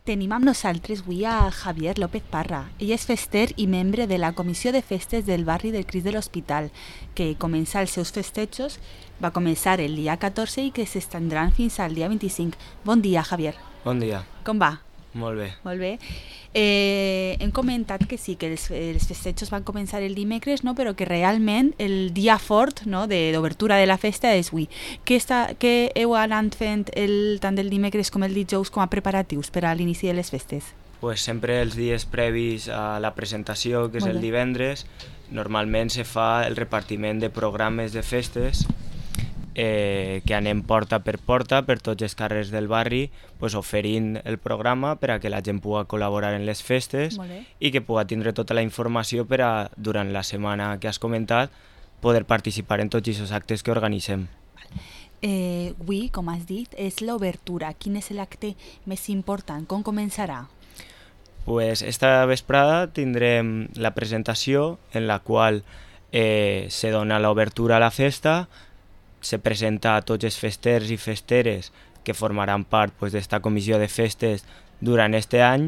Tenim amb nosaltres avui a Javier López Parra. Ell és fester i membre de la Comissió de Festes del barri del Crist de l'Hospital, que comença els seus festejos, va començar el dia 14 i que s'estendran fins al dia 25. Bon dia, Javier. Bon dia. Com va? Molt bé. Molt bé. Hem comentat que sí, que els festejos van començar el dimecres, no? Però que realment el dia fort, no? d'obertura de la festa és avui. Què heu anat fent tant el dimecres com el dijous com a preparatius per a l'inici de les festes? Pues sempre els dies previs a la presentació, que és el divendres, normalment se fa el repartiment de programes de festes que anem porta per tots els carrers del barri, pues, oferint el programa per a que la gent pugui col·laborar en les festes i que pugui tindre tota la informació per a, durant la setmana que has comentat, poder participar en tots aquests actes que organitzem. Avui, com has dit, és l'obertura. Quin és l'acte més important? Com començarà? Pues esta vesprada tindrem la presentació en la qual se dona l'obertura a la festa, se presenta a tots els festers i festeres que formaran part d'esta comissió de festes durant aquest any,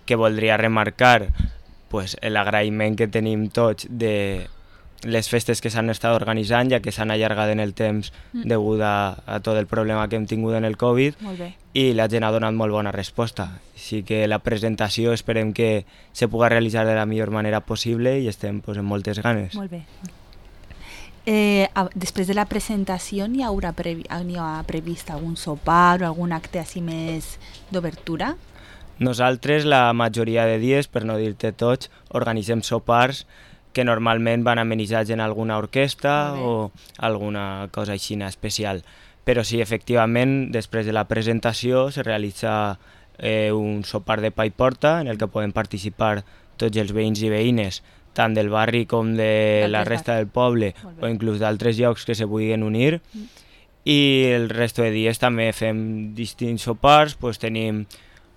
que voldria remarcar l'agraïment que tenim tots de les festes que s'han estat organitzant, ja que s'han allargat en el temps degut a tot el problema que hem tingut en el Covid, i la gent ha donat molt bona resposta. Així que la presentació esperem que se pugui realitzar de la millor manera possible i estem amb moltes ganes. Molt bé. Després de la presentació n'hi ha previst algun sopar o algun acte així més d'obertura? Nosaltres la majoria de dies, per no dir-te tots, organitzem sopars que normalment van amenitzats en alguna orquestra o alguna cosa així especial. Però sí, efectivament, després de la presentació se realitza un sopar de pa i porta en el que poden participar tots els veïns i veïnes, tant del barri com de la resta del poble o inclús d'altres llocs que se vulguin unir. I el resto de dies també fem distints sopars, tenim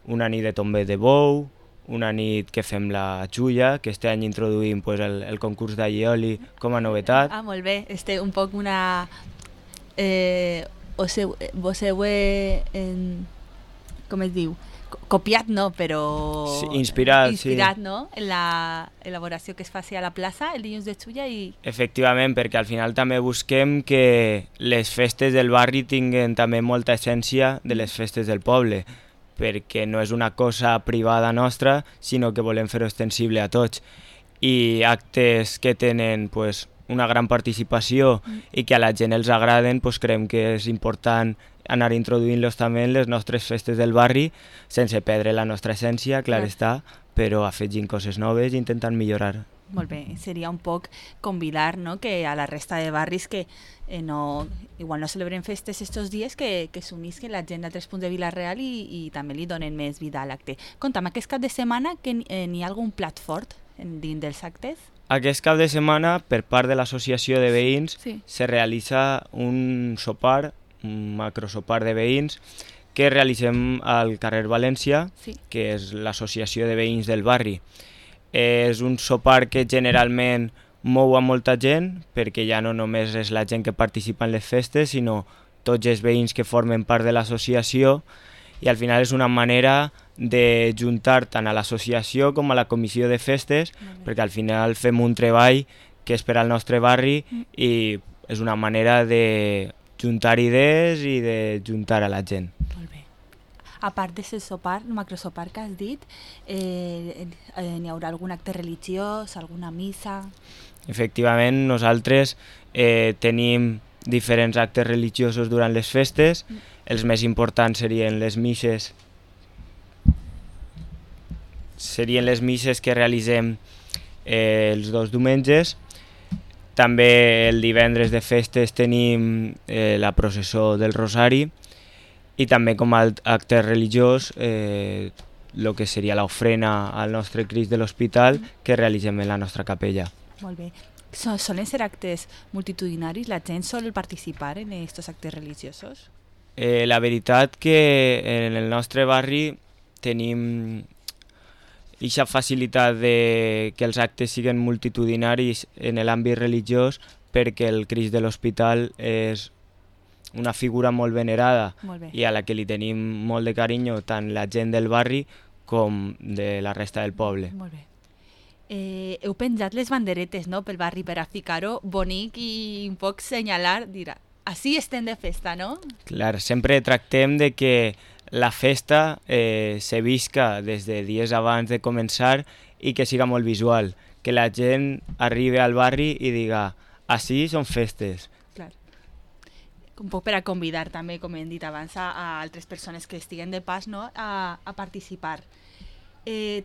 una nit de tombet de bou, una nit que fem la xulla, que este any introduïm el concurs d'allioli com a novetat. Molt bé, un poc una... Vos heu, com es diu? Copiat no, però... Sí, inspirat, no? En la elaboració que es faci a la plaça el dilluns de xulla i... Efectivament, perquè al final també busquem que les festes del barri tinguen també molta essència de les festes del poble, perquè no és una cosa privada nostra, sinó que volem fer-ho extensible a tots. I actes que tenen una gran participació i que a la gent els agraden, creiem que és important anar introduint-los també en les nostres festes del barri, sense perdre la nostra essència, clar està, però afegint coses noves i intentant millorar. Molt bé, seria un poc convidar, no?, que a la resta de barris que igual no celebren festes estos dies, que s'unisquen la gent d'altres punts de Vila-real i també li donen més vida a l'acte. Conta'm, aquest cap de setmana que n'hi ha algun plat fort dins dels actes? Aquest cap de setmana, per part de l'associació de veïns, se realitza un sopar, un macrosopar de veïns, que realitzem al carrer València, que és l'associació de veïns del barri. És un sopar que generalment mou a molta gent, perquè ja no només és la gent que participa en les festes, sinó tots els veïns que formen part de l'associació, i al final és una manera de juntar tant a l'associació com a la comissió de festes, perquè al final fem un treball que és per al nostre barri i és una manera de juntar idees i de juntar a la gent. Molt bé. A part d'aquest sopar, macrosopar que has dit, n'hi haurà algun acte religiós, alguna missa? Efectivament, nosaltres tenim diferents actes religiosos durant les festes. Els més importants serien les misses que realitzem els dos diumenges. També el divendres de festes tenim la processó del Rosari i també com a acte religiós el que seria l'ofrena al nostre Crist de l'Hospital que realitzem en la nostra capella. Molt bé. Solen ser actes multitudinaris? La gent sol participar en aquests actes religiosos? La veritat que en el nostre barri tenim aquesta facilitat de que els actes siguin multitudinaris en l'àmbit religiós perquè el Crist de l'Hospital és una figura molt venerada i a la que li tenim molt de carinyo tant la gent del barri com de la resta del poble. Molt bé. Heu penjat les banderetes, no?, pel barri per a ficar-ho bonic i un poc senyalar, dir, així estem de festa, no? Clar, sempre tractem de que la festa se visca des de dies abans de començar i que siga molt visual, que la gent arribi al barri i diga, així són festes. Clar. Un poc per a convidar també, com hem dit abans, a altres persones que estiguen de pas, no?, a participar.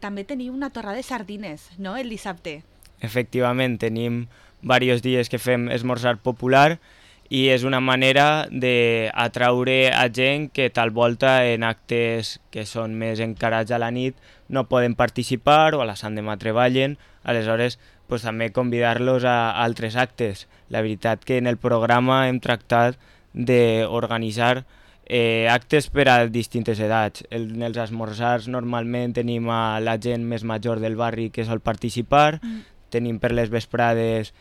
També teniu una torra de sardines, no?, el dissabte. Efectivament, tenim diversos dies que fem esmorzar popular i és una manera d'atraure a gent que tal volta en actes que són més encarats a la nit no poden participar o a la Sant Demà treballen, aleshores pues, també convidar-los a altres actes. La veritat que en el programa hem tractat d'organitzar actes per a distintes edats. En els esmorzars normalment tenim a la gent més major del barri que sol participar, tenim per les vesprades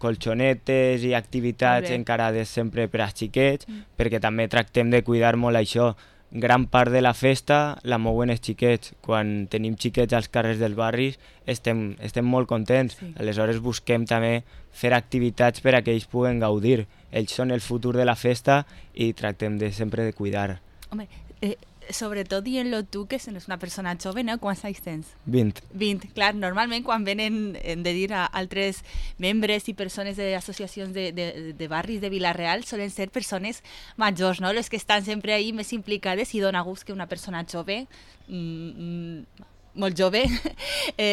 colxonetes i activitats encarades sempre per als xiquets, perquè també tractem de cuidar molt això. Gran part de la festa la mouen els xiquets. Quan tenim xiquets als carrers dels barris estem molt contents. Sí. Aleshores busquem també fer activitats per a que ells puguen gaudir. Ells són el futur de la festa i tractem sempre de cuidar. Home, sobretot dient-lo tu, que és una persona jove, no? Quants anys tens? 20. 20, clar. Normalment quan venen, hem de dir, a altres membres i persones d'associacions de barris de Vila-real solen ser persones majors, no? Les que estan sempre ahí més implicades, i dona gust que una persona jove, molt jove,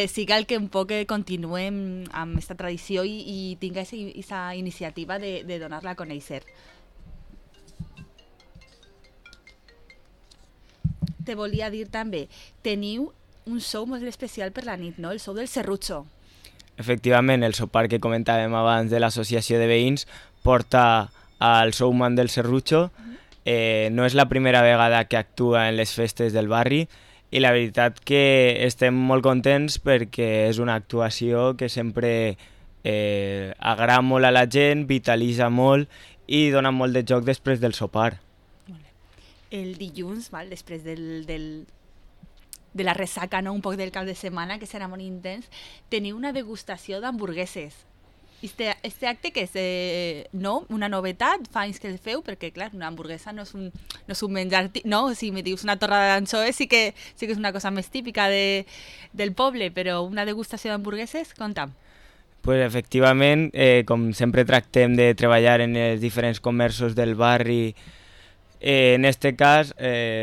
siga el que un poc continuem amb aquesta tradició i tinga aquesta iniciativa de donar-la a conèixer. Te volia dir també, teniu un show molt especial per la nit, no? El show del Serrutxo. Efectivament, el sopar que comentàvem abans de l'associació de veïns porta al showman del Serrutxo. No és la primera vegada que actua en les festes del barri i la veritat que estem molt contents perquè és una actuació que sempre agrada molt a la gent, vitalitza molt i dona molt de joc després del sopar. El dilluns, després de la ressaca, no? Un poc del cap de setmana, que serà molt intens, teniu una degustació d'hamburgueses. Este acte que és una novetat, fa anys que el feu, perquè clar, una hamburguesa no és un menjar... No, si me dius una torra d'anxoves sí que és una cosa més típica del poble, però una degustació d'hamburgueses, conta'm. Pues efectivament, com sempre tractem de treballar en els diferents comerços del barri. En aquest cas,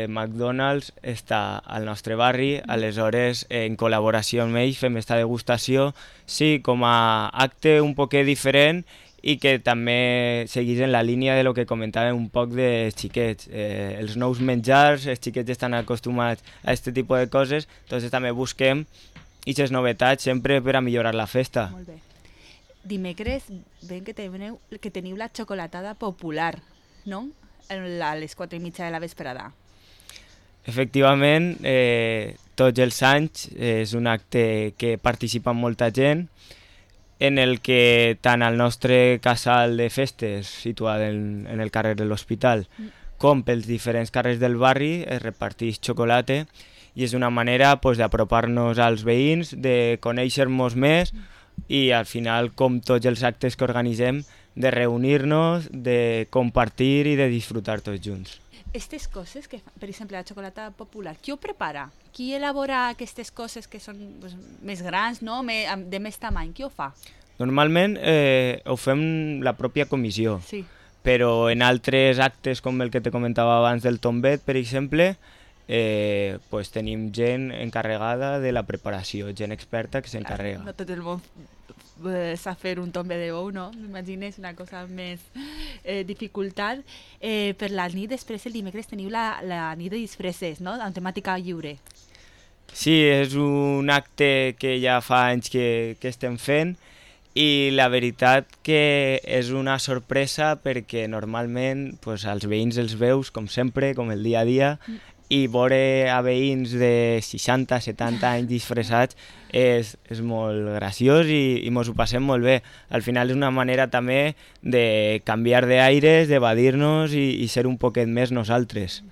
McDonald's està al nostre barri, aleshores, en col·laboració amb ells, fem aquesta degustació, sí, com a acte un poquet diferent i que també seguís en la línia de lo que comentàvem un poc dels xiquets. Els nous menjars, els xiquets estan acostumats a aquest tipus de coses, doncs també busquem aquestes novetats sempre per a millorar la festa. Molt bé. Dimecres, veiem que teniu la xocolatada popular, no?, a les 4:30 de la vesprada. Efectivament, tots els anys és un acte que participa molta gent, en el que tant al nostre casal de festes, situat en el carrer de l'Hospital, com pels diferents carrers del barri, es reparteix xocolata i és una manera d'apropar-nos als veïns, de conèixer-nos més i al final, com tots els actes que organitzem, de reunir-nos, de compartir i de disfrutar tots junts. Aquestes coses, que per exemple la xocolata popular, qui ho prepara? Qui elabora aquestes coses que són més grans, no? De més tamany? Qui ho fa? Normalment ho fem la pròpia comissió, sí. Però en altres actes com el que te comentava abans del tombet, per exemple, tenim gent encarregada de la preparació, gent experta que s'encarrega. No tot el món sap fer un tombe de bou, no? M'imagino, és una cosa més dificultat. Per la nit, després el dimecres teniu la nit de disfresses, no? Amb temàtica lliure. Sí, és un acte que ja fa anys que estem fent i la veritat que és una sorpresa perquè normalment els veïns els veus, com sempre, com el dia a dia, i veure a veïns de 60-70 anys disfressats és molt graciós i mos ho passem molt bé. Al final és una manera també de canviar d'aires, d'evadir-nos i ser un poquet més nosaltres.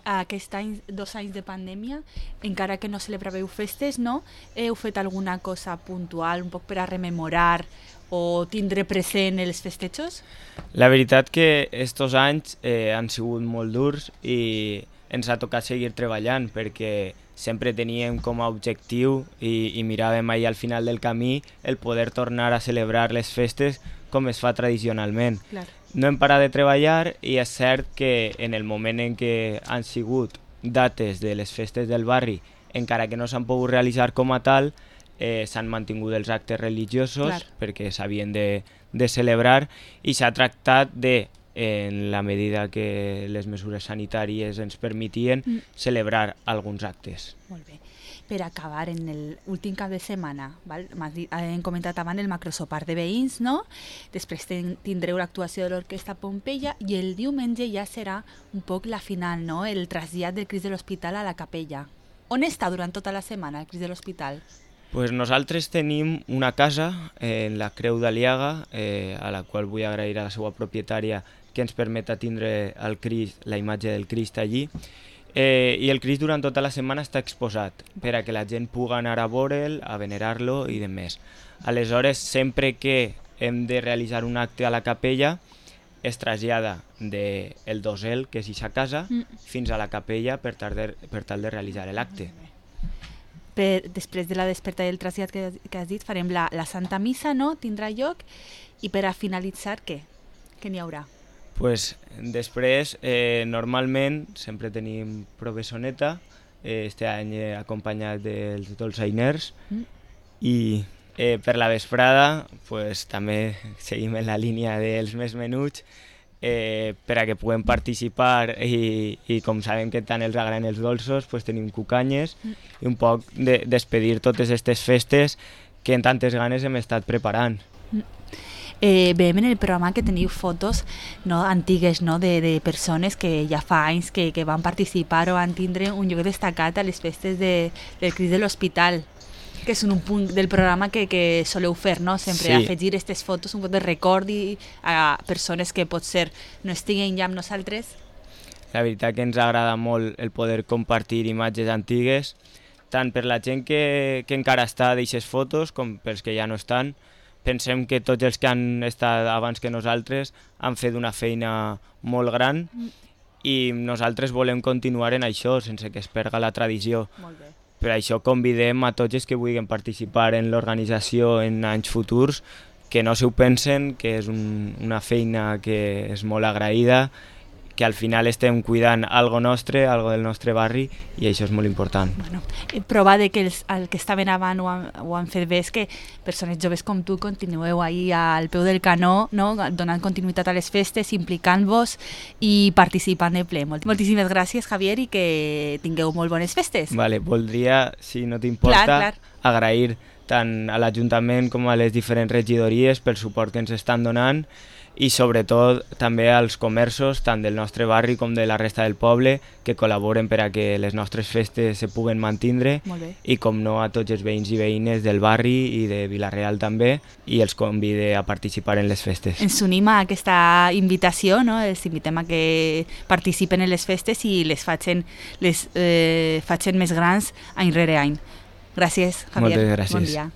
Aquest any, 2 anys de pandèmia, encara que no celebràveu festes, no? Heu fet alguna cosa puntual, un poc per a rememorar o tindre present els festejos? La veritat que estos anys han sigut molt durs i ens ha tocat seguir treballant perquè sempre teníem com a objectiu i miràvem ahir al final del camí el poder tornar a celebrar les festes com es fa tradicionalment. Clar. No hem parat de treballar i és cert que en el moment en què han sigut dates de les festes del barri, encara que no s'han pogut realitzar com a tal, s'han mantingut els actes religiosos. Clar. Perquè s'havien de celebrar i s'ha tractat de, en la medida que les mesures sanitàries ens permetien, celebrar alguns actes. Molt bé. Per acabar, en l'últim cap de setmana, val? Hem comentat abans el macrosopar de veïns, no? Després tindreu l'actuació de l'Orquestra Pompeia i el diumenge ja serà un poc la final, no? El trasllat del Crist de l'Hospital a la capella. On està durant tota la setmana el Crist de l'Hospital? Pues nosaltres tenim una casa en la Creu d'Aliaga, a la qual vull agrair a la seva propietària que ens permeta tindre el Crist, la imatge del Crist allí. I el Crist durant tota la setmana està exposat per a que la gent pugui anar a veure'l, a venerar-lo i demés. Aleshores, sempre que hem de realitzar un acte a la capella, es trasllada del dosel, que és eixa casa, fins a la capella per tal de realitzar l'acte. Després de la desperta i el trasllat que has dit, farem la Santa Missa, no? Tindrà lloc. I per a finalitzar, què? Què n'hi haurà? Pues, després, normalment, sempre tenim provesoneta, este any acompanyat dels dolçainers, i per la vesprada pues, també seguim en la línia dels més menuts, per a que puguem participar i com sabem que tant els agraden els dolços, pues, tenim cucanyes i un poc de despedir totes aquestes festes que en tantes ganes hem estat preparant. Veiem en el programa que teniu fotos, no, antigues, no, de persones que ja fa anys que van participar o van tindre un lloc destacat a les festes del Crist de l'Hospital, que és un punt del programa que soleu fer, no? Sempre sí. Afegir aquestes fotos, un poc de record a persones que potser no estiguen ja amb nosaltres. La veritat que ens agrada molt el poder compartir imatges antigues, tant per la gent que encara està d'aquestes fotos com pels que ja no estan. Pensem que tots els que han estat abans que nosaltres han fet una feina molt gran i nosaltres volem continuar en això, sense que es perga la tradició. Molt bé. Per això convidem a tots els que vulguin participar en l'organització en anys futurs, que no s'ho pensen, que és una feina que és molt agraïda, que al final estem cuidant algo nostre, algo del nostre barri, i això és molt important. Bueno, prova de que els que estaven abans ho han fet bé és que persones joves com tu continueu ahí al peu del canó, no? Donant continuïtat a les festes, implicant-vos i participant de ple. Moltíssimes gràcies, Javier, i que tingueu molt bones festes. Vale, voldria, si no t'importa, agrair tant a l'Ajuntament com a les diferents regidories pel suport que ens estan donant, i sobretot també als comerços, tant del nostre barri com de la resta del poble, que col·laboren per a que les nostres festes se puguen mantindre, i com no a tots els veïns i veïnes del barri i de Vila-real també, i els convide a participar en les festes. Ens unim a aquesta invitació, no? Els invitem a que participen en les festes i les facin més grans any rere any. Gràcies, Javier. Moltes gràcies. Bon dia.